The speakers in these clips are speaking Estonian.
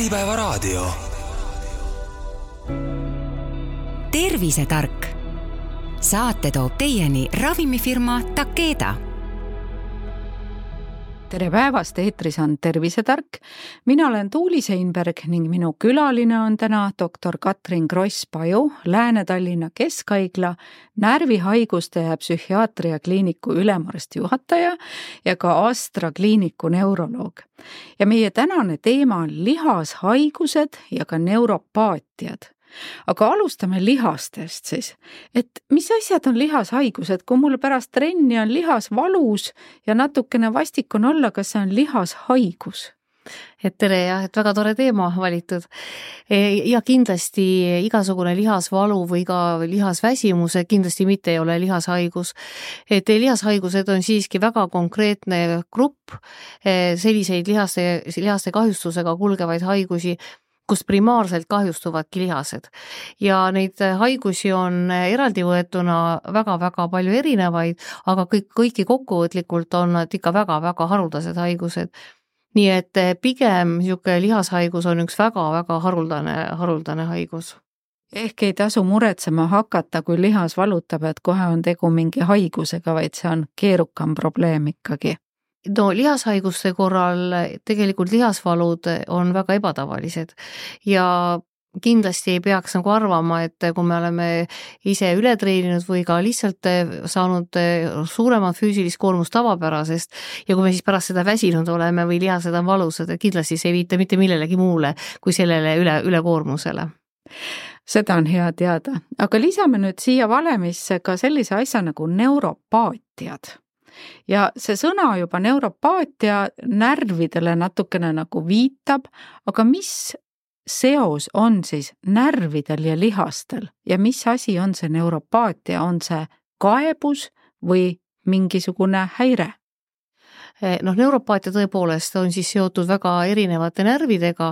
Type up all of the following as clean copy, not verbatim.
Äripäevaraadio. Tervisetark. Saate toob teieni ravimifirma Takeda. Tere päevast, eetris on Tervisetark. Mina olen Tuuli Seinberg ning minu külaline on täna doktor Katrin Kross-Paju, Lääne-Tallinna Keskhaigla närvihaiguste ja psühhiaatria kliiniku ülemarsti juhataja ja ka Astra kliiniku neuroloog. Ja meie tänane teema on lihashaigused ja ka neuropaatiad. Aga alustame lihastest siis, et mis asjad on lihashaigused, kui mul pärast trenni on lihas valus ja natukene vastik on olla, kas see on lihashaigus? Et tere ja et väga tore teema valitud. Ja kindlasti igasugune lihasvalu või ka lihasväsimus kindlasti mitte ei ole lihashaigus. Et lihashaigused on siiski väga konkreetne grupp selliseid lihaste kahjustusega kulgevaid haigusi, kus primaarselt kahjustuvadki lihased. Ja neid haigusi on eraldi võetuna väga-väga palju erinevaid, aga kõiki kokkuvõtlikult on nad ikka väga-väga haruldased haigused. Nii et pigem lihashaigus on üks väga-väga haruldane haigus. Ehk ei tasu muretsema hakata, kui lihas valutab, et kohe on tegu mingi haigusega, vaid see on keerukam probleem ikkagi. No lihashaiguste korral tegelikult lihasvalud on väga ebatavalised ja kindlasti ei peaks nagu arvama, et kui me oleme ise üle treeninud või ka lihtsalt saanud suuremat füüsilist koormust tavapärasest ja kui me siis pärast seda väsinud oleme või lihased on valusad, et kindlasti see ei viita mitte millelegi muule kui sellele ülekoormusele. Seda on hea teada, aga lisame nüüd siia valemisse ka sellise asja nagu neuropaatiad. Ja see sõna juba neuropaatia närvidele natukene nagu viitab, aga mis seos on siis närvidel ja lihastel ja mis asi on see neuropaatia, on see kaebus või mingisugune häire? Neuropaatia tõepoolest on siis seotud väga erinevate närvidega,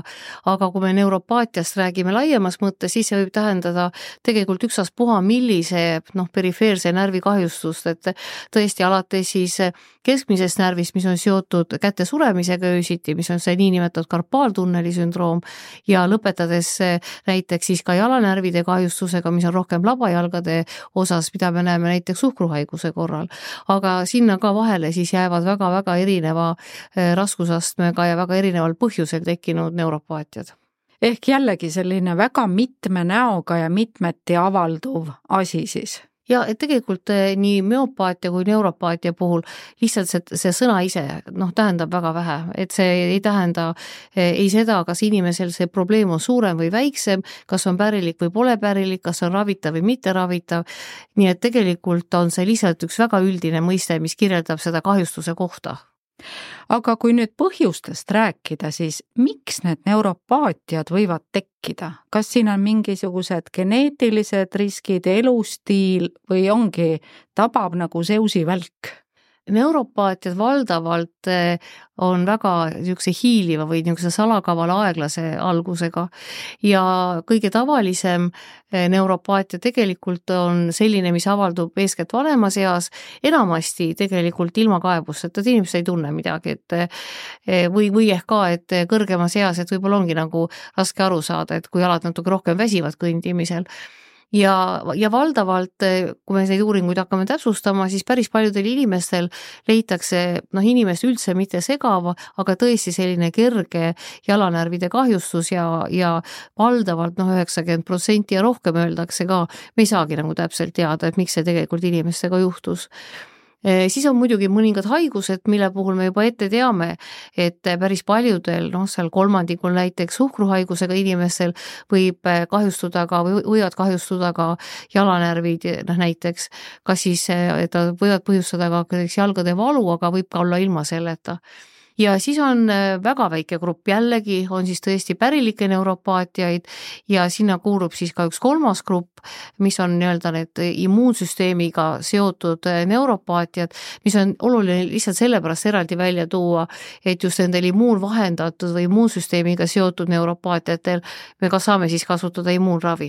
aga kui me neuropaatiast räägime laiemas mõttes, siis see võib tähendada tegelikult ükstaspuha millise perifeerse närvi kahjustust, et tõesti alates siis keskmisest närvist, mis on seotud käte suremisega öösiti, mis on see niinimetatud karpaaltunneli sündroom ja lõpetades näiteks siis ka jalanärvide kahjustusega, mis on rohkem labajalgade osas, mida me näeme näiteks suhkruhaiguse korral, aga sinna ka vahele siis jäävad väga-väga erineva raskusastmega ja väga erineval põhjusel tekkinud neuropaatiad. Ehk jällegi selline väga mitme näoga ja mitmeti avalduv asi siis. Ja et tegelikult nii müopaatia kui neuropaatia puhul lihtsalt see sõna ise tähendab väga vähe, et see ei tähenda ei seda, kas inimesel see probleem on suurem või väiksem, kas on pärilik või pole pärilik, kas on ravitav või mitte ravitav, nii et tegelikult on see lihtsalt üks väga üldine mõiste, mis kirjeldab seda kahjustuse kohta. Aga kui nüüd põhjustest rääkida, siis miks need neuropaatiad võivad tekkida? Kas siin on mingisugused geneetilised riskid, elustiil või ongi tabab nagu seusivälk? Neuropaatiad valdavalt on väga niisuguse hiiliva või niisuguse salakavala aeglase algusega ja kõige tavalisem neuropaatia tegelikult on selline, mis avaldub eeskätt vanemas eas, enamasti tegelikult ilma kaebusteta, et inimesed ei tunne midagi, et või ehk ka, et kõrgemas eas, et võib-olla ongi nagu raske aru saada, et kui jalad natuke rohkem väsivad kõndimisel. Ja valdavalt, kui me neid uuringuid hakkame täpsustama, siis päris paljudel inimestel leitakse inimest üldse mitte segava, aga tõesti selline kerge jalanärvide kahjustus ja valdavalt 90% ja rohkem öeldakse ka, me ei saagi nagu täpselt teada, et miks see tegelikult inimestega juhtus. Siis on muidugi mõningad haigused, mille puhul me juba ette teame, et päris paljudel, seal kolmandikul näiteks suhkruhaigusega inimestel võivad kahjustuda ka jalanärvid näiteks, kas siis et võivad põhjustada ka jalgade valu, aga võib ka olla ilma selleta. Ja siis on väga väike grupp, jällegi on siis tõesti pärilikke neuropaatiaid ja sinna kuulub siis ka üks kolmas grupp, mis on need immuunsüsteemiga seotud neuropaatiad, mis on oluline lihtsalt sellepärast eraldi välja tuua, et just nendel immuunvahendatud või immuunsüsteemiga seotud neuropaatiatel me ka saame siis kasutada immuunravi.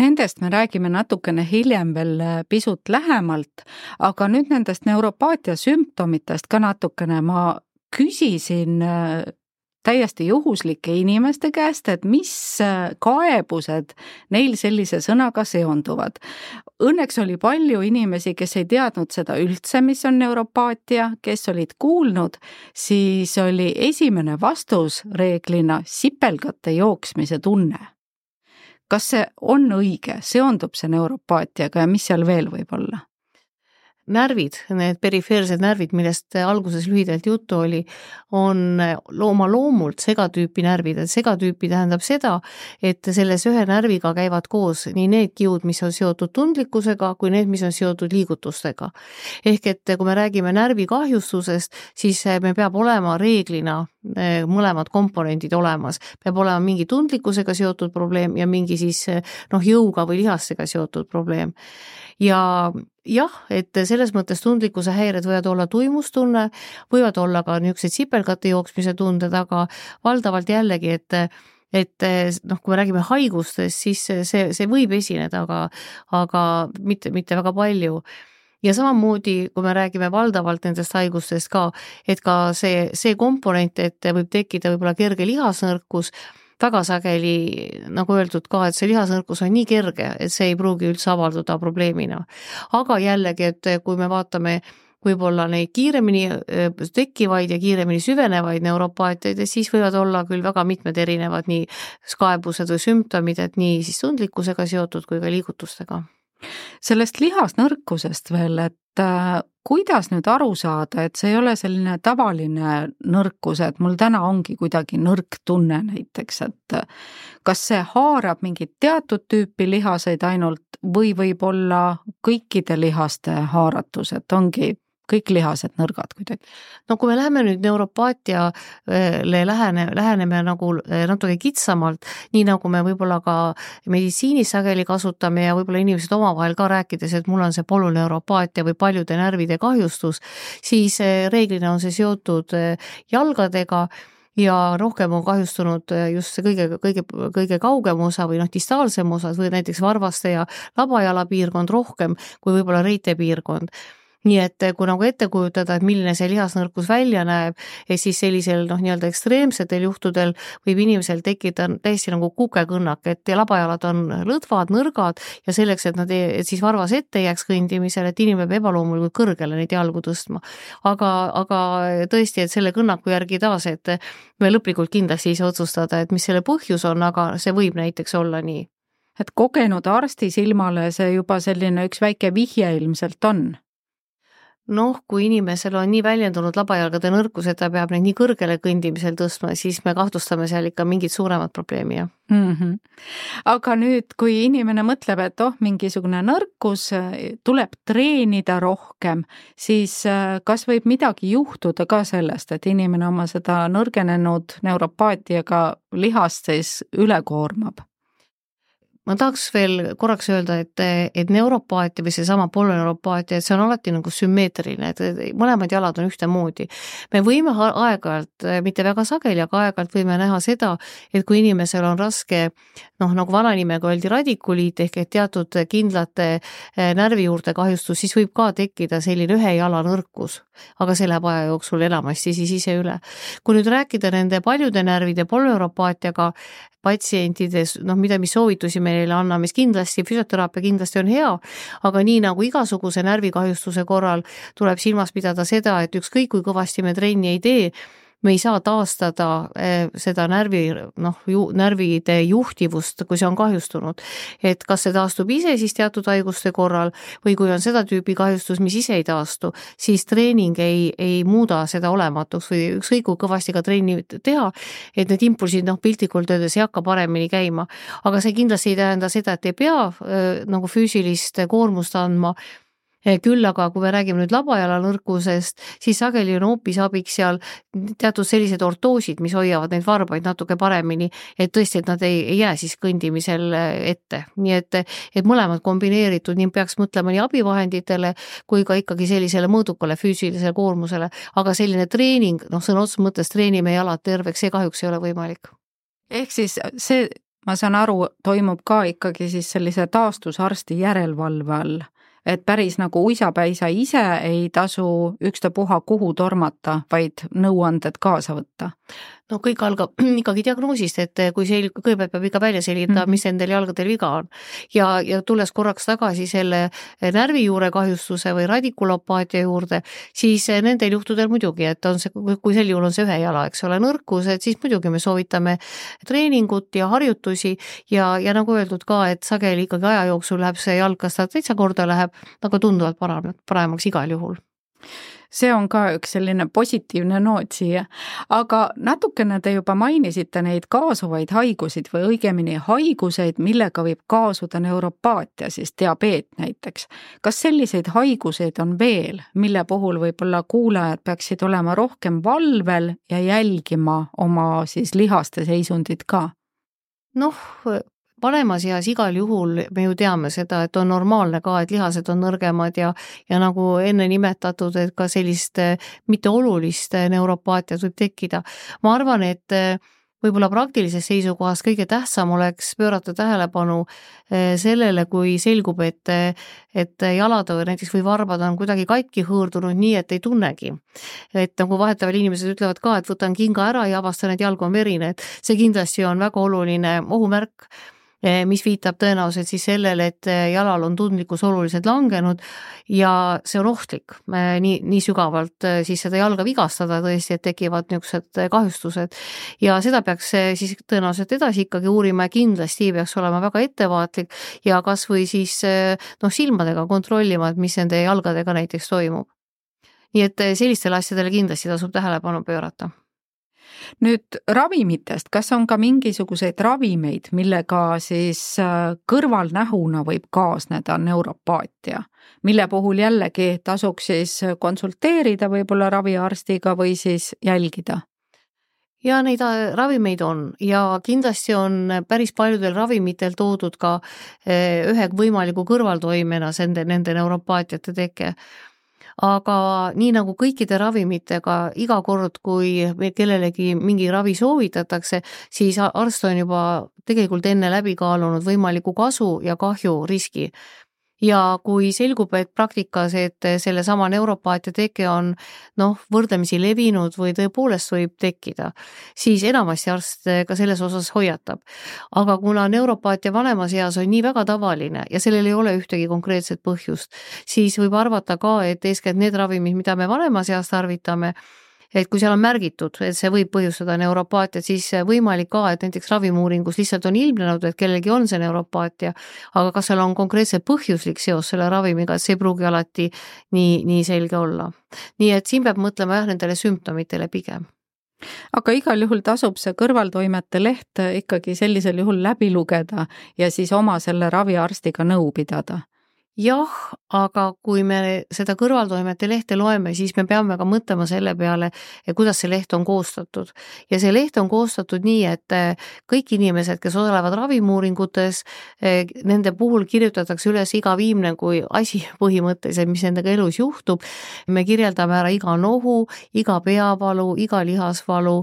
Nendest me räägime natukene hiljem veel pisut lähemalt, aga nüüd nendest neuropaatia sümptomitest ka natukene. Ma küsisin täiesti juhuslike inimeste käest, et mis kaebused neil sellise sõnaga seonduvad. Õnneks oli palju inimesi, kes ei teadnud seda üldse, mis on neuropaatia, kes olid kuulnud, siis oli esimene vastus reeglina sipelgate jooksmise tunne. Kas see on õige, seondub see neuropaatiaga ja mis seal veel võib olla? Närvid, need perifeersed närvid, millest alguses lühidalt juttu oli, on oma loomult segatüüpi närvid. Segatüüpi tähendab seda, et selles ühe närviga käivad koos nii need kiud, mis on seotud tundlikkusega, kui need, mis on seotud liigutustega. Ehk et kui me räägime närvikahjustusest, siis me peab olema reeglina mõlemad komponendid olemas. Peab olema mingi tundlikkusega seotud probleem ja mingi siis jõuga või lihastega seotud probleem. Ja jah, et selles mõttes tundlikkuse häired võivad olla tuimustunne, võivad olla ka niisugused sipelgate jooksmise tunded, aga valdavalt jällegi, et kui me räägime haigustest, siis see võib esineda, aga mitte väga palju. Ja samamoodi, kui me räägime valdavalt nendest haigustest ka, et ka see komponent, et võib tekkida võib-olla kerge lihasnõrkus, väga sageli, nagu öeldud ka, et see lihasnõrkus on nii kerge, et see ei pruugi üldse avalduda probleemina. Aga jällegi, et kui me vaatame võib-olla neid kiiremini tekkivaid ja kiiremini süvenevaid neuropaatiaid, siis võivad olla küll väga mitmed erinevad nii kaebused või sümptomid, et nii siis tundlikkusega seotud kui ka liigutustega. Sellest lihasnõrkusest veel, et kuidas nüüd aru saada, et see ei ole selline tavaline nõrkus, et mul täna ongi kuidagi nõrk tunne näiteks, et kas see haarab mingit teatud tüüpi lihaseid ainult või võib olla kõikide lihaste haaratus, et ongi kõik lihased nõrgad kuidagi? No kui me läheme nüüd neuropaatiale läheneme nagu natuke kitsamalt, nii nagu me võib-olla ka meditsiinis sageli kasutame ja võib-olla inimesed omavahel ka rääkides, et mul on see polüneuropaatia või paljude närvide kahjustus, siis reeglina on see seotud jalgadega ja rohkem on kahjustunud just see kõige kaugem osa või distaalsem osa või näiteks varvaste ja labajala piirkond rohkem kui võib-olla reite piirkond. Nii et kui nagu ette kujutada, et milline see lihasnõrkus välja näeb, siis sellisel nii-öelda ekstreemsetel juhtudel võib inimesel tekkida täiesti nagu kukekõnnak, et labajalad on lõdvad, nõrgad ja selleks, et siis varvas ette jääks kõndimisel, et inimene peab ebaloomulikult kõrgele neid jalgu tõstma. Aga tõesti, et selle kõnnaku järgi taas, et me lõplikult kindlasti ise otsustada, et mis selle põhjus on, aga see võib näiteks olla nii. Et kogenud arsti silmale see juba selline üks väike vihje ilmselt on? Kui inimesel on nii väljendunud labajalgade nõrkus, et ta peab neid nii kõrgele kõndimisel tõstma, siis me kahtlustame seal ikka mingit suuremat probleemi, jah. Aga nüüd, kui inimene mõtleb, et mingisugune nõrkus tuleb treenida rohkem, siis kas võib midagi juhtuda ka sellest, et inimene oma seda nõrgenenud neuropaatiaga lihast siis üle koormab? Ma tahaks veel korraks öelda, et neuropaatia või seesama polüneuropaatia, et see on alati nagu sümmeetriline, et mõlemad jalad on ühtemoodi. Me võime aeg-ajalt, mitte väga sageli, aga aeg-ajalt võime näha seda, et kui inimesel on raske, nagu vananimega öeldi radikuliit ehk et teatud kindlate närvi juurde kahjustus, siis võib ka tekkida selline ühe jala nõrkus, aga see läheb aja jooksul enamasti siis ise üle. Kui nüüd rääkida nende paljude närvide polüneuropaatiaga patsientides, mis soovitusi me neile anname, siis kindlasti füsioteraapia kindlasti on hea, aga nii nagu igasuguse närvikahjustuse korral tuleb silmas pidada seda, et ükskõik kui kõvasti me trenni ei tee, me ei saa taastada seda närvide juhtivust, kui see on kahjustunud. Et kas see taastub ise siis teatud haiguste korral või kui on seda tüüpi kahjustus, mis ise ei taastu, siis treening ei muuda seda olematuks või ükskõik kui kõvasti ka trenni teha, et need impulsid piltlikult öeldes ei hakka paremini käima. Aga see kindlasti ei tähenda seda, et ei pea füüsilist koormust andma. Küll aga kui me räägime nüüd labajala nõrkusest, siis sageli on hoopis abiks seal teatud sellised ortoosid, mis hoiavad neid varbaid natuke paremini, et tõesti, et nad ei jää siis kõndimisel ette. Nii et mõlemad kombineeritud, nii peaks mõtlema nii abivahenditele kui ka ikkagi sellisele mõõdukale füüsilisele koormusele, aga selline treening, sõna otseses mõttes treenime jalad terveks, see kahjuks ei ole võimalik. Ehk siis see, ma saan aru, toimub ka ikkagi siis sellise taastusarsti järelevalve all. Et päris nagu uisapäisa ise ei tasu ükstapuha kuhu tormata, vaid nõuanded kaasa võtta. No kõik algab ikkagi diagnoosist, et kui kõigepealt peab ikka välja selgitada, mis nendel jalgadel viga on. Ja tulles korraks tagasi selle närvijuure kahjustuse või radikulopaatia juurde, siis nendel juhtudel muidugi, et on see, kui sel juhul on see ühe jala, eks ole, nõrkus, et siis muidugi me soovitame treeningut ja harjutusi ja nagu öeldud ka, et sageli ikkagi aja jooksul läheb see jalg, kas ta täitsa korda läheb, aga tunduvalt paremaks igal juhul. See on ka üks selline positiivne noot siia, aga natukene te juba mainisite neid kaasuvaid haigusid või õigemini haiguseid, millega võib kaasuda neuropaatia, siis diabeet näiteks. Kas selliseid haiguseid on veel, mille puhul võib-olla kuulajad peaksid olema rohkem valvel ja jälgima oma siis lihaste seisundit ka? Noh, panemas eas igal juhul me ju teame seda, et on normaalne ka, et lihased on nõrgemad ja nagu enne nimetatud, et ka sellist mitteolulist neuropaatiat võib tekkida. Ma arvan, et võib-olla praktilises seisukohas kõige tähtsam oleks pöörata tähelepanu sellele, kui selgub, et jalad näiteks või varbad on kuidagi katki hõõrdunud nii, et ei tunnegi. Et nagu vahetavail inimesed ütlevad ka, et võtan kinga ära ja avastan, et jalg on verine, et see kindlasti on väga oluline ohumärk, mis viitab tõenäoliselt siis sellele, et jalal on tundlikkus oluliselt langenud ja see on ohtlik nii sügavalt siis seda jalga vigastada tõesti, et tekivad niisugused kahjustused ja seda peaks siis tõenäoliselt edasi ikkagi uurima ja kindlasti peaks olema väga ettevaatlik ja kas või siis silmadega kontrollima, et mis nende jalgadega näiteks toimub. Nii et sellistele asjadele kindlasti tasub tähelepanu pöörata. Nüüd ravimitest, kas on ka mingisuguseid ravimeid, millega siis kõrvalnähuna võib kaasneda neuropaatia, mille puhul jällegi tasuks siis konsulteerida võib-olla raviarstiga või siis jälgida? Ja neid ravimeid on ja kindlasti on päris paljudel ravimitel toodud ka ühe võimaliku kõrvaltoimena nende neuropaatiate teke. Aga nii nagu kõikide ravimitega iga kord, kui kellelegi mingi ravi soovitatakse, siis arst on juba tegelikult enne läbi kaalunud võimaliku kasu ja kahju riski. Ja kui selgub, et praktikas, et selle sama neuropaatia teke on võrdlemisi levinud või tõepoolest võib tekkida, siis enamasti arst ka selles osas hoiatab. Aga kuna neuropaatia vanemas eas on nii väga tavaline ja sellel ei ole ühtegi konkreetset põhjust, siis võib arvata ka, et eeskätt need ravimid, mida me vanemas eas tarvitame, et kui seal on märgitud, et see võib põhjustada neuropaatiat, siis võimalik ka, et näiteks ravimuuringus lihtsalt on ilmnenud, et kellelgi on see neuropaatia, aga kas seal on konkreetselt põhjuslik seos selle ravimiga, et see ei pruugi alati nii selge olla. Nii et siin peab mõtlema nendele sümptomitele pigem. Aga igal juhul tasub see kõrvaltoimete leht ikkagi sellisel juhul läbi lugeda ja siis oma selle raviarstiga nõu pidada. Jah, aga kui me seda kõrvaltoimete lehte loeme, siis me peame ka mõtlema selle peale, kuidas see leht on koostatud. Ja see leht on koostatud nii, et kõik inimesed, kes osalevad ravimuuringutes, nende puhul kirjutatakse üles iga viimne kui asi põhimõtteliselt, mis nendega elus juhtub. Me kirjeldame ära iga nohu, iga peavalu, iga lihasvalu,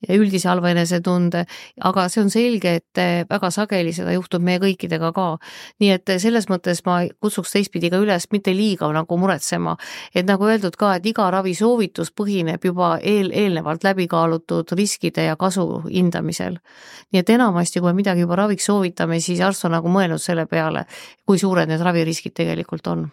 ja üldise halva enesetunde, aga see on selge, et väga sageli seda juhtub meie kõikidega ka. Nii et selles mõttes ma kutsuks teistpidi ka üles mitte liiga nagu muretsema, et nagu öeldud ka, et iga ravisoovitus põhineb juba eelnevalt läbikaalutud riskide ja kasu hindamisel. Nii et enamasti, kui me midagi juba raviks soovitame, siis arst on nagu mõelnud selle peale, kui suured need raviriskid tegelikult on.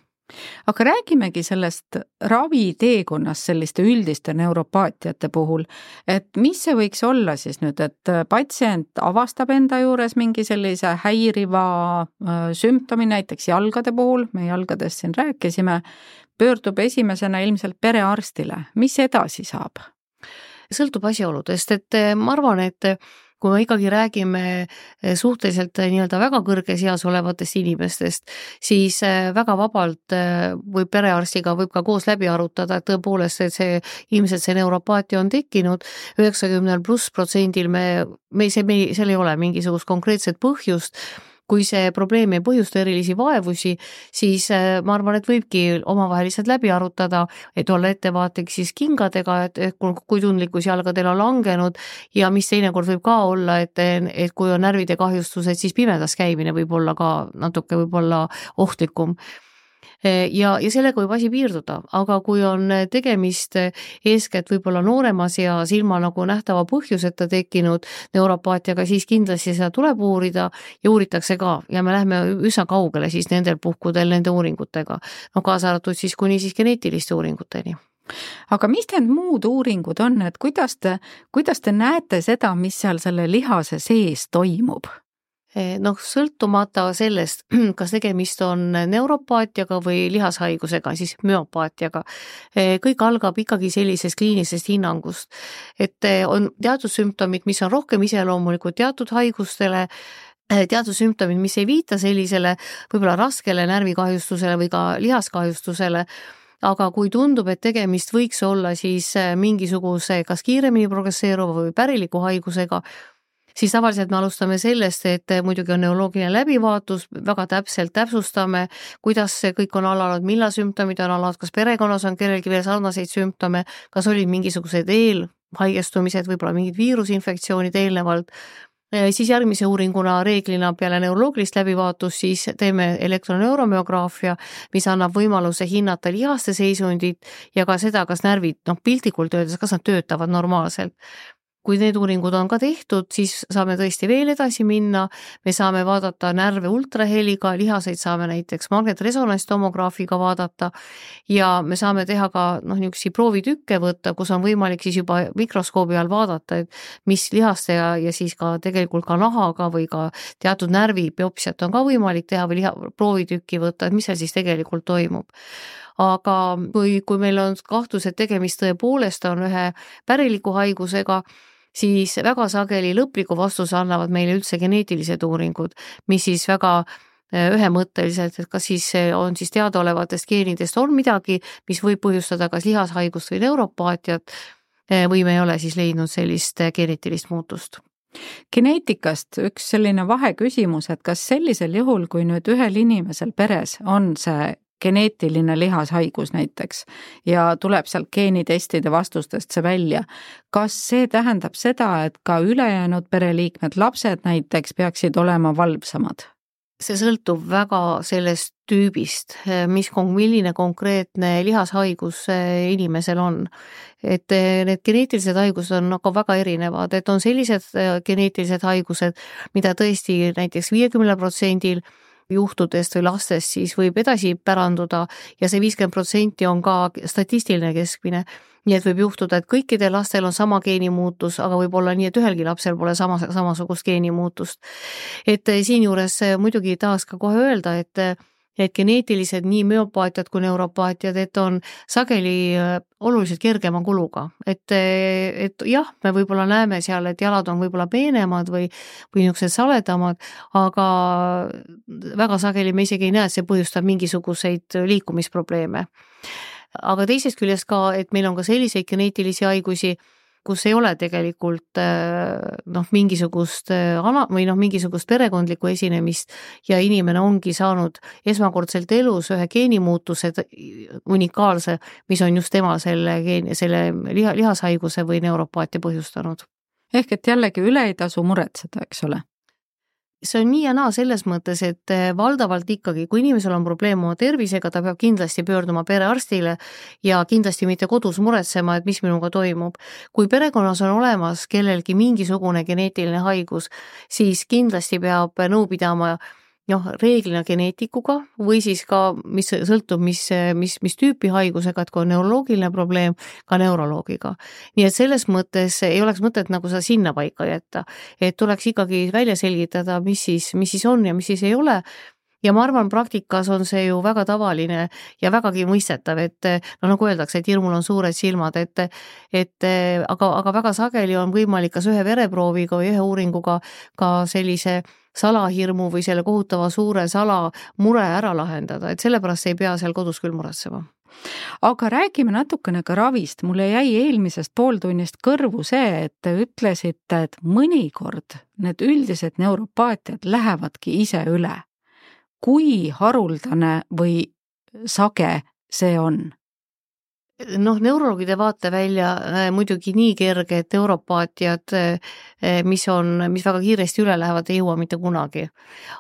Aga räägimegi sellest raviteekonnast selliste üldiste neuropaatiate puhul, et mis see võiks olla siis nüüd, et patsient avastab enda juures mingi sellise häiriva sümptomi, näiteks jalgade puhul, me jalgadest siin rääkisime, pöördub esimesena ilmselt perearstile. Mis edasi saab? Sõltub asjaoludest, et ma arvan, et kui me ikkagi räägime suhteliselt nii-öelda väga kõrges eas olevatest inimestest, siis väga vabalt võib perearstiga võib ka koos läbi arutada, et tõepoolest, et ilmselt see neuropaatia on tekkinud, 90+% seal ei ole mingisugust konkreetset põhjust. Kui see probleem ei põhjusta erilisi vaevusi, siis ma arvan, et võibki omavahel lihtsalt läbi arutada, et olla ettevaatlik siis kingadega, et kui tundlikkus jalgadel on langenud ja mis teinekord võib ka olla, et kui on närvide kahjustused, siis pimedas käimine võib olla ka natuke võib olla ohtlikum. ja sellega võib asi piirduda, aga kui on tegemist eeskätt võib-olla nooremas eas ilma nagu nähtava põhjuseta tekkinud neuropaatiaga, siis kindlasti seda tuleb uurida ja uuritakse ka ja me läheme üsna kaugele siis nendel puhkudel nende uuringutega, no kaasa arvatud siis kuni siis geneetiliste uuringuteni. Aga mis need muud uuringud on, et kuidas te näete seda, mis seal selle lihase sees toimub? Noh, sõltumata sellest, kas tegemist on neuropaatiaga või lihashaigusega, siis müopaatiaga, kõik algab ikkagi sellisest kliinilisest hinnangust, et on teatud sümptomid, mis on rohkem iseloomulikud teatud haigustele, teatud sümptomid, mis ei viita sellisele võib-olla raskele närvikahjustusele või ka lihaskahjustusele, aga kui tundub, et tegemist võiks olla siis mingisuguse kas kiiremini progresseeruva või päriliku haigusega, siis tavaliselt me alustame sellest, et muidugi on neuroloogiline läbivaatus, väga täpselt täpsustame, kuidas see kõik on alanud, millal sümptomid on alanud, kas perekonnas on kellelgi veel sarnaseid sümptome, kas olid mingisugused eelhaigestumised, võib-olla mingid viirusinfektsioonid eelnevalt. Siis järgmise uuringuna reeglina peale neuroloogilist läbivaatust siis teeme elektroneuromeograafia, mis annab võimaluse hinnata lihaste seisundit ja ka seda, kas närvid, piltlikult öeldes, kas nad töötavad normaalselt. Kui need uuringud on ka tehtud, siis saame tõesti veel edasi minna, me saame vaadata närve ultraheliga, lihaseid saame näiteks magnetresonantstomograafiga vaadata ja me saame teha ka niisuguseid proovitükke võtta, kus on võimalik siis juba mikroskoobi all vaadata, et mis lihaste ja siis ka tegelikult ka nahaga või ka teatud närvibiopsiat on ka võimalik teha või proovitükki võtta, et mis seal siis tegelikult toimub. Aga kui meil on kahtlus, et tegemist tõepoolest on ühe päriliku haigusega, siis väga sageli lõpliku vastuse annavad meile üldse geneetilised uuringud, mis siis väga ühemõtteliselt, et kas siis on siis teadaolevatest geenidest on midagi, mis võib põhjustada kas lihashaigust või neuropaatiat või me ei ole siis leidnud sellist geneetilist muutust. Geneetikast üks selline vaheküsimus, et kas sellisel juhul, kui nüüd ühel inimesel peres on see geneetiline lihashaigus näiteks ja tuleb sealt geenitestide vastustest see välja. Kas see tähendab seda, et ka ülejäänud pereliikmed, lapsed näiteks peaksid olema valvsamad? See sõltub väga sellest tüübist, milline konkreetne lihashaigus inimesel on. Et need geneetilised haigused on aga väga erinevad, et on sellised geneetilised haigused, mida tõesti näiteks 50% juhtudest või lastest siis võib edasi päranduda ja see 50% on ka statistiline keskmine. Nii et võib juhtuda, et kõikidel lastel on sama geenimuutus, aga võib olla nii, et ühelgi lapsel pole samasugust geenimuutust. Et siinjuures muidugi tahaks ka kohe öelda, et geneetilised nii müopaatiad kui neuropaatiad, et on sageli oluliselt kergema kuluga. Et jah, me võib-olla näeme seal, et jalad on võib-olla peenemad või niisugused saledamad, aga väga sageli me isegi ei näe, et see põhjustab mingisuguseid liikumisprobleeme. Aga teisest küljest ka, et meil on ka selliseid geneetilisi haigusi, kus ei ole tegelikult mingisugust perekondlikku esinemist ja inimene ongi saanud esmakordselt elus ühe geenimuutuse unikaalse, mis on just tema selle lihashaiguse või neuropaatia põhjustanud. Ehk et jällegi üle ei tasu muretseda, eks ole? See on nii ja naa selles mõttes, et valdavalt ikkagi, kui inimesel on probleem oma tervisega, ta peab kindlasti pöörduma perearstile ja kindlasti mitte kodus muretsema, et mis minuga toimub. Kui perekonnas on olemas kellelgi mingisugune geneetiline haigus, siis kindlasti peab nõu pidama reeglina geneetikuga või siis ka, mis sõltub, mis tüüpi haigusega, et kui on neuroloogiline probleem, ka neuroloogiga. Nii et selles mõttes ei oleks mõtet nagu seda sinna paika jätta, et tuleks ikkagi välja selgitada, mis siis on ja mis siis ei ole. Ja ma arvan, praktikas on see ju väga tavaline ja vägagi mõistetav, et nagu öeldakse, et hirmul on suured silmad, aga väga sageli on võimalik kas ühe vereprooviga või ühe uuringuga ka sellise salahirmu või selle kohutava suure salamure ära lahendada, et sellepärast ei pea seal kodus küll muretsema. Aga räägime natukene ka ravist. Mulle jäi eelmisest pooltunnist kõrvu see, et te ütlesite, et mõnikord need üldised neuropaatiad lähevadki ise üle. Kui haruldane või sage see on? Neurologide vaatevälja muidugi nii kerge, et neuropaatiad, mis väga kiiresti üle lähevad, ei jõua mitte kunagi.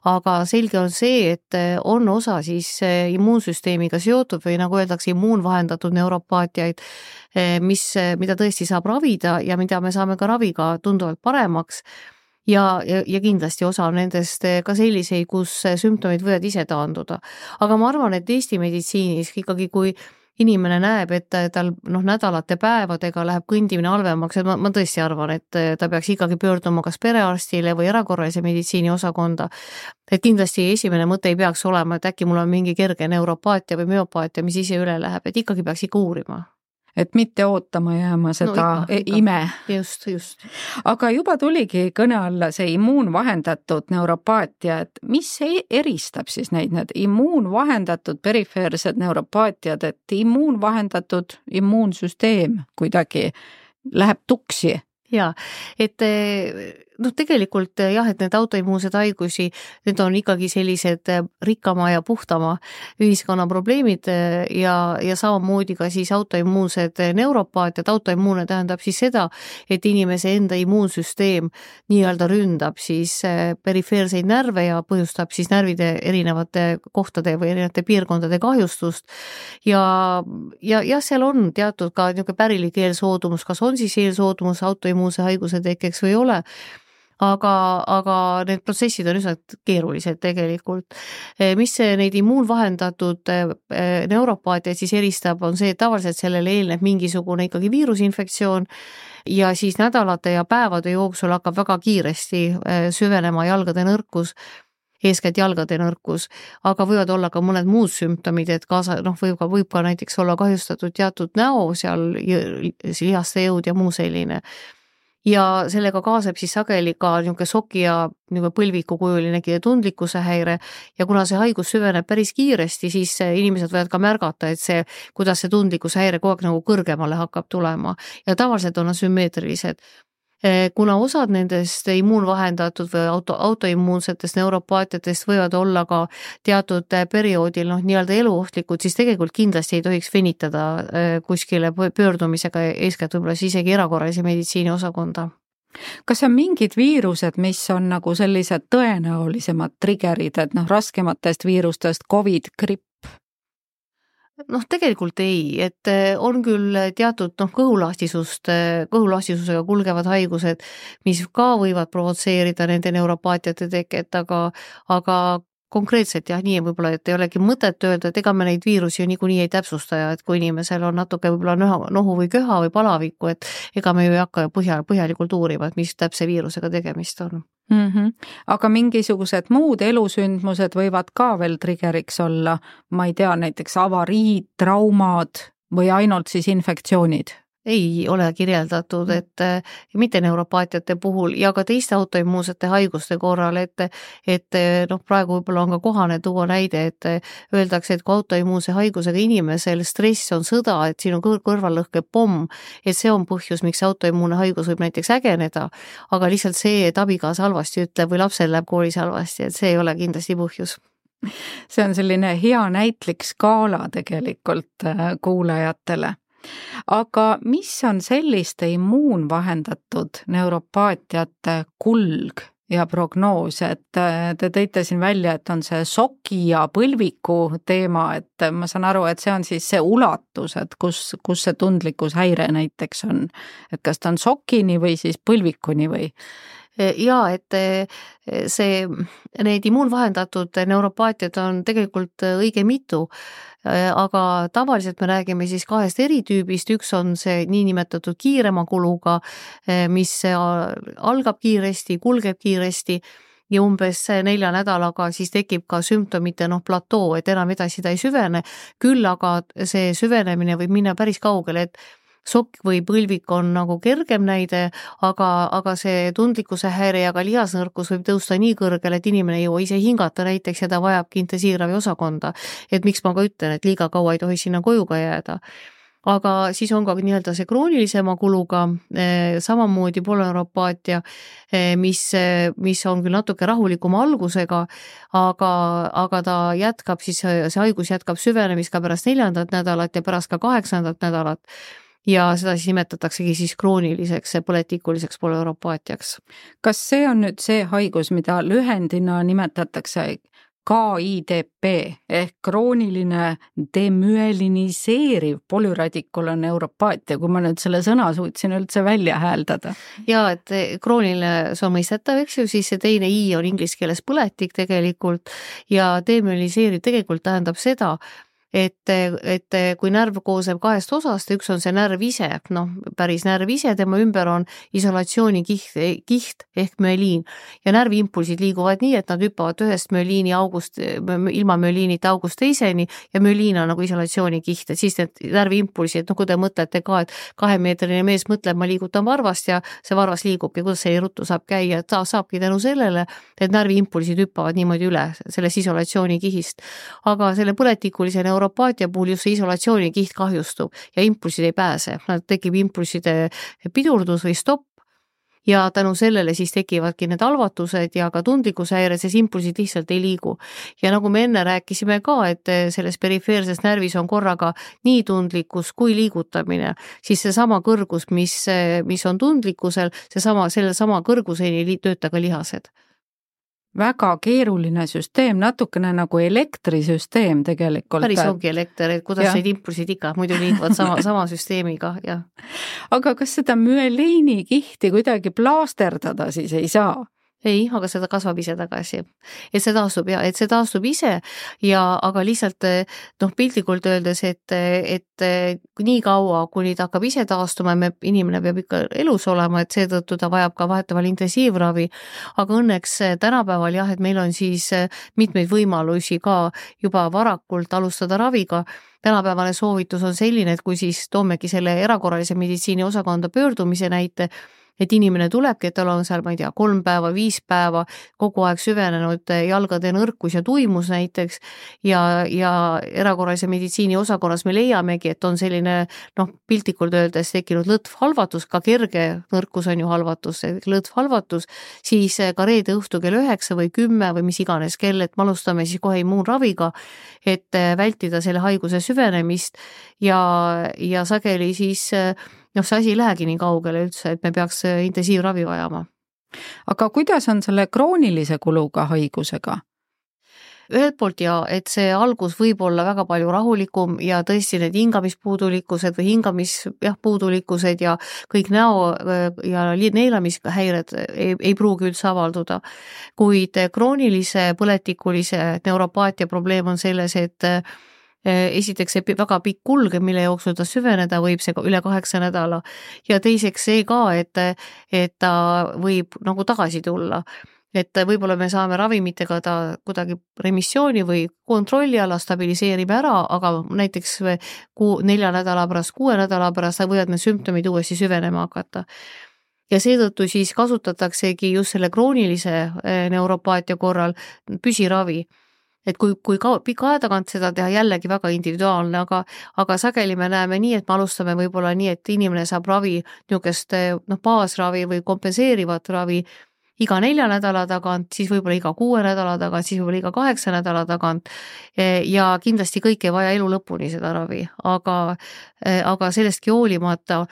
Aga selge on see, et on osa siis immuunsüsteemiga seotud või nagu öeldakse, immuunvahendatud neuropaatiaid, mida tõesti saab ravida ja mida me saame ka raviga tunduvalt paremaks. Ja kindlasti osa nendest ka selliseid, kus sümptomid võivad ise taanduda. Aga ma arvan, et Eesti meditsiinis ikkagi, kui inimene näeb, et tal nädalate päevadega läheb kõndimine halvemaks, et ma tõesti arvan, et ta peaks ikkagi pöörduma kas perearstile või erakorralise meditsiini osakonda. Et kindlasti esimene mõte ei peaks olema, et äkki mul on mingi kerge neuropaatia või müopaatia, mis ise üle läheb, et ikkagi peaks ikka uurima. Et mitte ootama jääma seda ime. Just. Aga juba tuligi kõne alla see immuunvahendatud neuropaatia, et mis eristab siis need immuunvahendatud perifeersed neuropaatiad, et immuunvahendatud immuunsüsteem kuidagi läheb tuksi? Jaa, et tegelikult jah, et need autoimmuunsed haigusi, need on ikkagi sellised rikkama ja puhtama ühiskonna probleemid ja samamoodi ka siis autoimmuunsed neuropaatiad. Autoimmuune tähendab siis seda, et inimese enda immuunsüsteem nii-öelda ründab siis perifeerseid närve ja põhjustab siis närvide erinevate kohtade või erinevate piirkondade kahjustust. Ja seal on teatud ka niisugune pärilik eelsoodumus, kas on siis eelsoodumus autoimmuunse haiguse tekkeks või ei ole. Aga need protsessid on üsna keerulised tegelikult. Mis neid immuunvahendatud neuropaatiaid siis eristab, on see, et tavaliselt sellele eelneb mingisugune ikkagi viirusinfektsioon ja siis nädalate ja päevade jooksul hakkab väga kiiresti süvenema jalgade nõrkus, eeskätt jalgade nõrkus, aga võivad olla ka mõned muud sümptomid, et võib ka näiteks olla kahjustatud teatud näo, seal lihaste jõud ja muu selline. Ja sellega kaaseb siis sageli ka niisugune soki ja põlvikukujuline tundlikkuse häire ja kuna see haigus süveneb päris kiiresti, siis inimesed võivad ka märgata, et see, kuidas see tundlikkuse häire kogu aeg nagu kõrgemale hakkab tulema ja tavaliselt on nad sümmeetrilised. Kuna osad nendest immuunvahendatud või autoimmuunsetest neuropaatiatest võivad olla ka teatud perioodil nii-öelda eluohtlikud, siis tegelikult kindlasti ei tohiks venitada kuskile pöördumisega, eeskätt võib-olla siis isegi erakorralise meditsiini osakonda. Kas on mingid viirused, mis on nagu sellised tõenäolisemad triggerid, et raskematest viirustest COVID, gripp? Tegelikult ei, et on küll teatud kõhulahtisusega kulgevad haigused, mis ka võivad provotseerida nende neuropaatiate teket, aga konkreetselt jah, nii võib-olla, et ei olegi mõtet öelda, et ega me neid viirusi ju niikuinii ei täpsusta ja et kui inimesel on natuke võib-olla nohu või köha või palavikku, et ega me ju ei hakka põhjalikult uurima, et mis täpse viirusega tegemist on. Aga mingisugused muud elusündmused võivad ka veel triggeriks olla, ma ei tea, näiteks avariid, traumad või ainult siis infektsioonid? Ei ole kirjeldatud, et mitte neuropaatiate puhul ja ka teiste autoimmuunsete haiguste korral, et praegu võib-olla on ka kohane tuua näide, et öeldakse, et kui autoimmuunse haigusega inimesel stress on sõda, et siin on kõrvallõhke pomm, et see on põhjus, miks autoimmuunne haigus võib näiteks ägeneda, aga lihtsalt see, et abikaasa halvasti ütleb või lapsel läheb koolis halvasti, et see ei ole kindlasti põhjus. See on selline hea näitlik skaala tegelikult kuulajatele. Aga mis on selliste immuunvahendatud neuropaatiate kulg ja prognoos, et te tõite siin välja, et on see soki ja põlviku teema, et ma saan aru, et see on siis see ulatus, et kus see tundlikkushäire näiteks on, et kas ta on sokini või siis põlvikuni või? Jaa, et need immuunvahendatud neuropaatiad on tegelikult õige mitu, aga tavaliselt me räägime siis kahest eritüübist, üks on see niinimetatud kiirema kuluga, mis algab kiiresti, kulgeb kiiresti ja umbes 4 nädalaga siis tekib ka sümptomite platoo, et enam edasi ta ei süvene, küll aga see süvenemine võib minna päris kaugele, et sokk või põlvik on nagu kergem näide, aga see tundlikkuse häire ja ka lihasnõrkus võib tõusta nii kõrgele, et inimene ei jõua ise hingata näiteks ja ta vajabki intensiivravi osakonda. Et miks ma ka ütlen, et liiga kaua ei tohi sinna koju ka jääda. aga siis on ka nii-öelda see kroonilisema kuluga, samamoodi polüneuropaatia, mis on küll natuke rahulikuma algusega, aga ta jätkab siis, see haigus jätkab süvenemist ka pärast 4. nädalat ja pärast ka 8. nädalat. Ja seda siis nimetataksegi siis krooniliseks, põletikuliseks polüneuropaatiaks. Kas see on nüüd see haigus, mida lühendina nimetatakse KIDP ehk krooniline demüeliniseeriv polüradikulaneuropaatia, kui ma nüüd selle sõna suutsin üldse välja hääldada? Ja, et krooniline, see on mõistetav, eks ju, siis see teine I on inglise keeles põletik tegelikult ja demüeliniseeriv tegelikult tähendab seda, et kui närv koosneb 2 osast, üks on see närv ise, päris närv ise, tema ümber on isolatsioonikiht ehk müeliin ja närviimpulsid liiguvad nii, et nad hüppavad ühest müeliini august, ilma müeliinita august teiseni ja müeliin on nagu isolatsioonikiht, et siis need närviimpulsid, kui te mõtlete ka, et 2-meetrine mees mõtleb, ma liigutan varvast ja see varvas liigubki, kuidas see ruttu saab käia, et ta saabki tänu sellele, et närviimpulsid hüppavad niimoodi üle sellest isolatsioonikihist, aga selle põletikulise neuropaatia puhul just see isolatsioonikiht kahjustub ja impulsid ei pääse. Nad tekib impulside pidurdus või stopp ja tänu sellele siis tekivadki need halvatused ja ka tundlikkushäired, sest impulsid lihtsalt ei liigu. Ja nagu me enne rääkisime ka, et selles perifeerses närvis on korraga nii tundlikkus kui liigutamine, siis see sama kõrgus, mis on tundlikkusel, selle sama kõrguseni tööta ka lihased. Väga keeruline süsteem, natukene nagu elektrisüsteem tegelikult. Päris ongi elekter, et kuidas need impulsid ikka muidu liiguvad sama süsteemiga, jah. Aga kas seda müeliini kihti kuidagi plaasterdada siis ei saa? Ei, aga seda kasvab ise tagasi. Et see taastub ise ja aga lihtsalt piltlikult öeldes, et nii kaua, kuni ta hakkab ise taastuma, inimene peab ikka elus olema, et seetõttu ta vajab ka vahetevahel intensiivravi, aga õnneks tänapäeval jah, et meil on siis mitmeid võimalusi ka juba varakult alustada raviga. Tänapäevane soovitus on selline, et kui siis toomegi selle erakorralise meditsiini osakonda pöördumise näite, et inimene tulebki, et tal on seal, 3 päeva, 5 päeva, kogu aeg süvenenud jalgade nõrkus ja tuimus näiteks ja erakorralise meditsiini osakonnas me leiamegi, et on selline, piltlikult öeldes tekkinud lõtvhalvatus, ka kerge nõrkus on ju halvatus, lõtvhalvatus, siis ka reede õhtu kell 9 või 10 või mis iganes kell, et me alustame siis kohe immuunraviga, et vältida selle haiguse süvenemist ja sageli siis see asi ei lähegi nii kaugele üldse, et me peaks intensiivravi vajama. Aga kuidas on selle kroonilise kuluga haigusega? Ühelt poolt et see algus võib olla väga palju rahulikum ja tõesti need hingamispuudulikkused või hingamispuudulikkused ja kõik näo ja neelamishäired ei pruugi üldse avalduda. Kuid kroonilise põletikulise neuropaatia probleem on selles, et esiteks see väga pikk kulge, mille jooksul ta süveneda võib, see üle 8 nädala ja teiseks see ka, et ta võib nagu tagasi tulla. Et võib-olla me saame ravimitega ta kuidagi remissiooni või kontrolli alla stabiliseerib ära, aga näiteks 4 nädala pärast, 6 nädala pärast võivad need sümptomid uuesti süvenema hakata. Ja seetõttu siis kasutataksegi just selle kroonilise neuropaatia korral püsiravi. Et kui pika aja tagant seda teha jällegi väga individuaalne, aga sageli me näeme nii, et me alustame võib-olla nii, et inimene saab ravi, niisugust baasravi või kompenseerivat ravi iga 4 nädala tagant, siis võib-olla iga 6 nädala tagant, siis võib-olla iga 8 nädala tagant ja kindlasti kõik ei vaja elu lõpuni seda ravi, aga sellestki hoolimata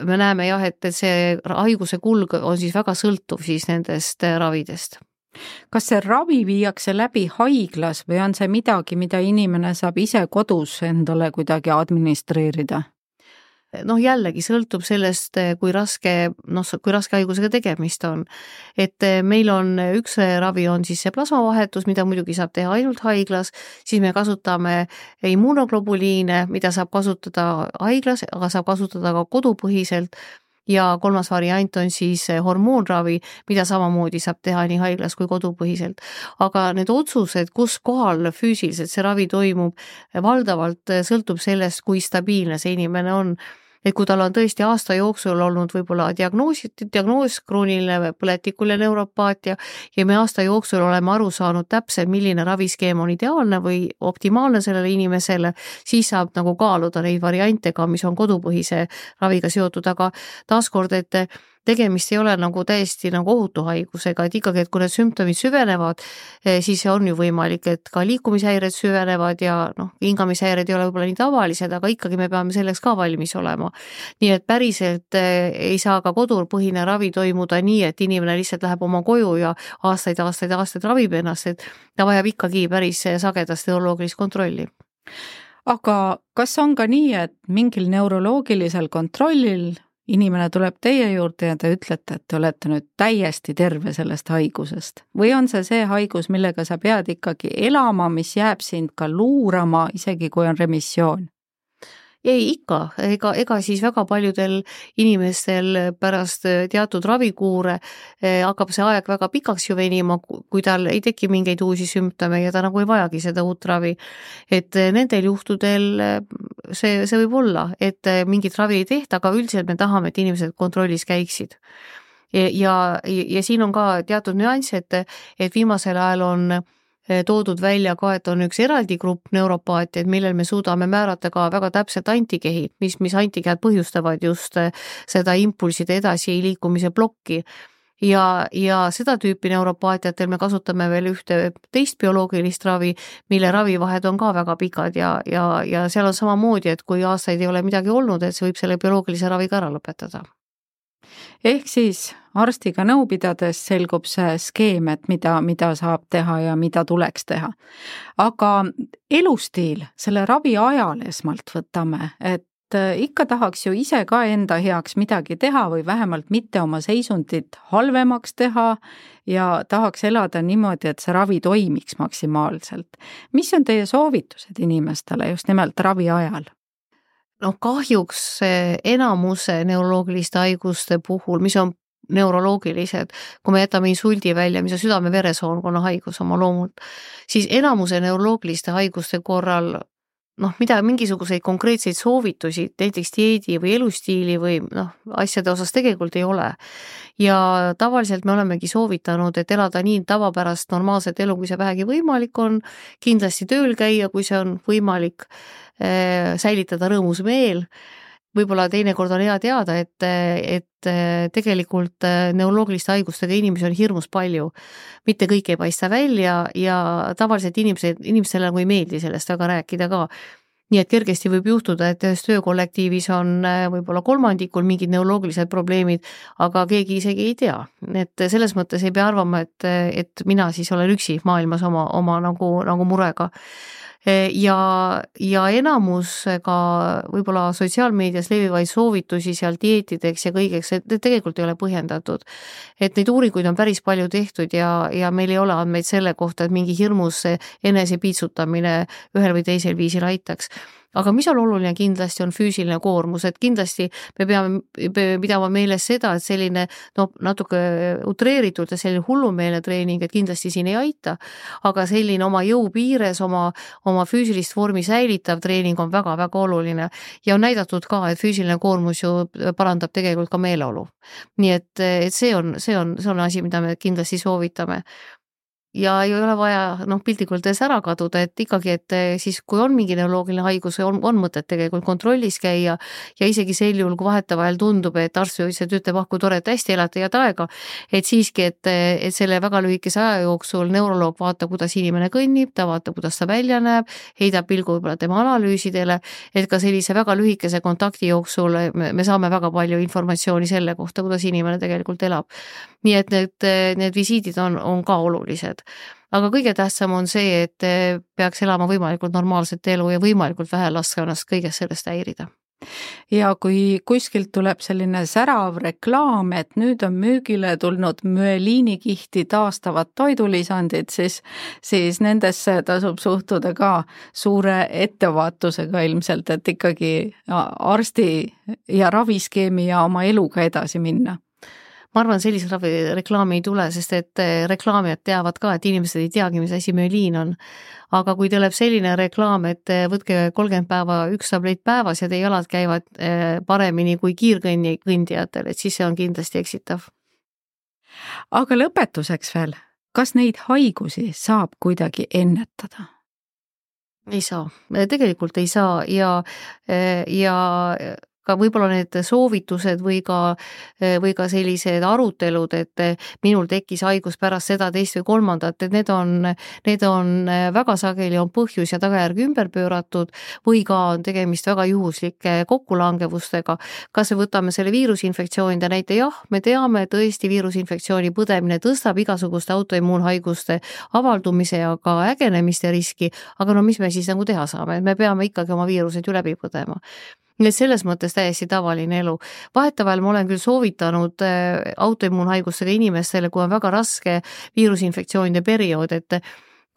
me näeme jah, et see haiguse kulg on siis väga sõltuv siis nendest ravidest. Kas see ravi viiakse läbi haiglas või on see midagi, mida inimene saab ise kodus endale kuidagi administreerida? Jällegi sõltub sellest, kui raske haigusega tegemist on. Et meil on üks ravi on siis see plasmavahetus, mida muidugi saab teha ainult haiglas, siis me kasutame immunoglobuliine, mida saab kasutada haiglas, aga saab kasutada ka kodupõhiselt ja 3. variant on siis hormoonravi, mida samamoodi saab teha nii haiglas kui kodupõhiselt. Aga need otsused, kus kohal füüsiliselt see ravi toimub, valdavalt sõltub sellest, kui stabiilne see inimene on. et kui tal on tõesti aasta jooksul olnud võib-olla diagnoos krooniline põletikuline neuropaatia ja me aasta jooksul oleme aru saanud täpselt, milline raviskeem on ideaalne või optimaalne sellele inimesele, siis saab nagu kaaluda neid variante ka, mis on kodupõhise raviga seotud, aga taaskord, et tegemist ei ole nagu täiesti nagu ohutu haigusega, et ikkagi, et kui need sümptomid süvenevad, siis on ju võimalik, et ka liikumishäired süvenevad ja hingamishäired ei ole võib-olla nii tavalised, aga ikkagi me peame selleks ka valmis olema. Nii et päriselt ei saa ka kodupõhine ravi toimuda nii, et inimene lihtsalt läheb oma koju ja aastaid ravib ennast, et ta vajab ikkagi päris sagedast neuroloogilist kontrolli. Aga kas on ka nii, et mingil neuroloogilisel kontrollil inimene tuleb teie juurde ja te ütlete, et te olete nüüd täiesti terve sellest haigusest? Või on see haigus, millega sa pead ikkagi elama, mis jääb sind ka luurama, isegi kui on remissioon? Ei, ikka, ega siis väga paljudel inimestel pärast teatud ravikuure hakkab see aeg väga pikaks ju venima, kui tal ei teki mingeid uusi sümptome ja ta nagu ei vajagi seda uut ravi. Et nendel juhtudel see võib olla, et mingit ravi ei tehta, aga üldiselt me tahame, et inimesed kontrollis käiksid. Ja siin on ka teatud nüanss, et viimasel ajal on toodud välja ka, et on üks eraldi grupp neuropaatiaid, millel me suudame määrata ka väga täpselt antikehid, mis antikehad põhjustavad just seda impulside edasi liikumise plokki. Ja seda tüüpi neuropaatiatel me kasutame veel ühte teist bioloogilist ravi, mille ravivahed on ka väga pikad ja seal on samamoodi, et kui aastaid ei ole midagi olnud, et see võib selle bioloogilise raviga ära lõpetada. Ehk siis arstiga nõu pidades selgub see skeem, et mida saab teha ja mida tuleks teha. Aga elustiil, selle ravi ajal esmalt võtame, et ikka tahaks ju ise ka enda heaks midagi teha või vähemalt mitte oma seisundit halvemaks teha ja tahaks elada niimoodi, et see ravi toimiks maksimaalselt. Mis on teie soovitused inimestele just nimelt ravi ajal? Kahjuks enamuse neuroloogiliste haiguste puhul, mis on neuroloogilised, kui me jätame insuldi välja, mis on südame-veresoonkonna haigus oma loomult, siis enamuse neuroloogiliste haiguste korral mingisuguseid konkreetseid soovitusi, näiteks dieedi või elustiili või asjade osas tegelikult ei ole. Ja tavaliselt me olemegi soovitanud, et elada nii tavapärast normaalset elu, kui see vähegi võimalik on, kindlasti tööl käia, kui see on võimalik, säilitada rõõmus meel. Võib-olla teinekord on hea teada, et tegelikult neuroloogiliste haigustega inimesi on hirmus palju. Mitte kõik ei paista välja ja tavaliselt inimestele nagu ei meeldi sellest väga rääkida ka. Nii et kergesti võib juhtuda, et ühes töökollektiivis on võib-olla kolmandikul mingid neuroloogilised probleemid, aga keegi isegi ei tea. Et selles mõttes ei pea arvama, et mina siis olen üksi maailmas oma nagu murega. Ja enamus ka võib-olla sotsiaalmeedias levivaid soovitusi seal dieetideks ja kõigeks, et tegelikult ei ole põhjendatud. Et neid uuringuid on päris palju tehtud ja meil ei ole andmeid selle kohta, et mingi hirmus enese piitsutamine ühel või teisel viisil aitaks. Aga mis on oluline kindlasti on füüsiline koormus, et kindlasti me peame pidama meeles seda, et selline natuke utreeritud ja selline hullumeelne treening, et kindlasti siin ei aita, aga selline oma jõu piires, oma füüsilist vormi säilitav treening on väga-väga oluline ja on näidatud ka, et füüsiline koormus ju parandab tegelikult ka meeleolu. Nii et see on asi, mida me kindlasti soovitame. Ja ei ole vaja piltlikult ära kaduda, et ikkagi, et siis kui on mingi neuroloogiline haigus, on mõtet tegelikult kontrollis käia ja isegi sel juhul, kui vahetevahel tundub, et arst ütleb, kui tore, et hästi elate head aega, et siiski, et selle väga lühikese aja jooksul neuroloog vaatab, kuidas inimene kõnnib, ta vaatab, kuidas ta välja näeb, heidab pilgu võib-olla tema analüüsidele, et ka sellise väga lühikese kontakti jooksul me saame väga palju informatsiooni selle kohta, kuidas inimene tegelikult elab. Nii et need visiidid on ka olulised. Aga kõige tähtsam on see, et peaks elama võimalikult normaalset elu ja võimalikult vähe laske ennast kõigest sellest häirida. Ja kui kuskilt tuleb selline särav reklaam, et nüüd on müügile tulnud müeliinikihti taastavad toidulisandid, siis nendesse tasub suhtuda ka suure ettevaatusega ilmselt, et ikkagi arsti ja raviskeemi ja oma eluga edasi minna. ma arvan, sellise reklaami ei tule, sest et reklaamijad teavad ka, et inimesed ei teagi, mis asi müeliin on. Aga kui tuleb selline reklaam, et võtke 30 päeva 1 tablett päevas ja teie jalad käivad paremini kui kiirkõndijatel, et siis see on kindlasti eksitav. Aga lõpetuseks veel, kas neid haigusi saab kuidagi ennetada? Ei saa, tegelikult ei saa ja ka võib-olla need soovitused või ka sellised arutelud, et minul tekkis haigus pärast seda, teist või kolmandat, et need on väga sageli on põhjus ja tagajärg ümber pööratud või ka on tegemist väga juhuslike kokkulangevustega. Kas me võtame selle viirusinfektsioonide näite? Jah, me teame, tõesti viirusinfektsiooni põdemine tõstab igasuguste autoimmuunhaiguste avaldumise ja ka ägenemiste riski, aga no mis me siis nagu teha saame? Me peame ikkagi oma viirused ju läbi põdema. Nii et selles mõttes täiesti tavaline elu. Vahetevahel ma olen küll soovitanud autoimmuunhaigustega inimestele, kui on väga raske viirusinfektsioonide periood, et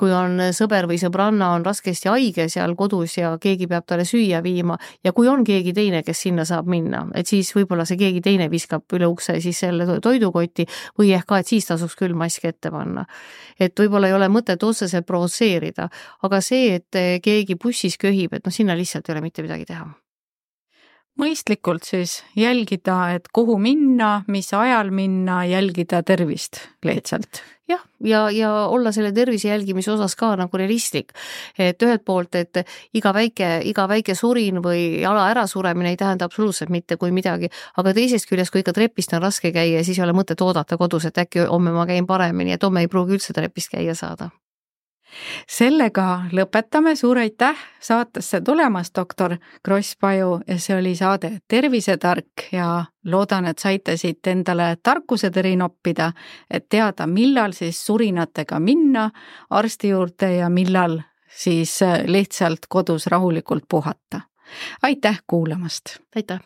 kui on sõber või sõbranna on raskesti haige seal kodus ja keegi peab talle süüa viima ja kui on keegi teine, kes sinna saab minna, et siis võib-olla see keegi teine viskab üle ukse siis selle toidukotti või ehk ka, et siis tasuks küll maski ette panna. Et võib-olla ei ole mõtet otseselt provotseerida, aga see, et keegi bussis köhib, et no sinna lihtsalt ei ole mitte midagi teha. Mõistlikult siis jälgida, et kuhu minna, mis ajal minna, jälgida tervist lihtsalt. Jah, ja olla selle tervise jälgimise osas ka nagu realistlik. Et ühelt poolt, et iga väike surin või jala ärasuremine ei tähenda absoluutselt mitte kui midagi, aga teisest küljest, kui ikka trepist on raske käia, siis ei ole mõtet oodata kodus, et äkki homme ma käin paremini, et homme ei pruugi üldse trepist käia saada. Sellega lõpetame, suur aitäh saatesse tulemast, doktor Kross-Paju, ja see oli saade Tervisetark ja loodan, et saite siit endale tarkuseteri noppida, et teada, millal siis surinatega minna arsti juurde ja millal siis lihtsalt kodus rahulikult puhata. Aitäh kuulamast! Aitäh!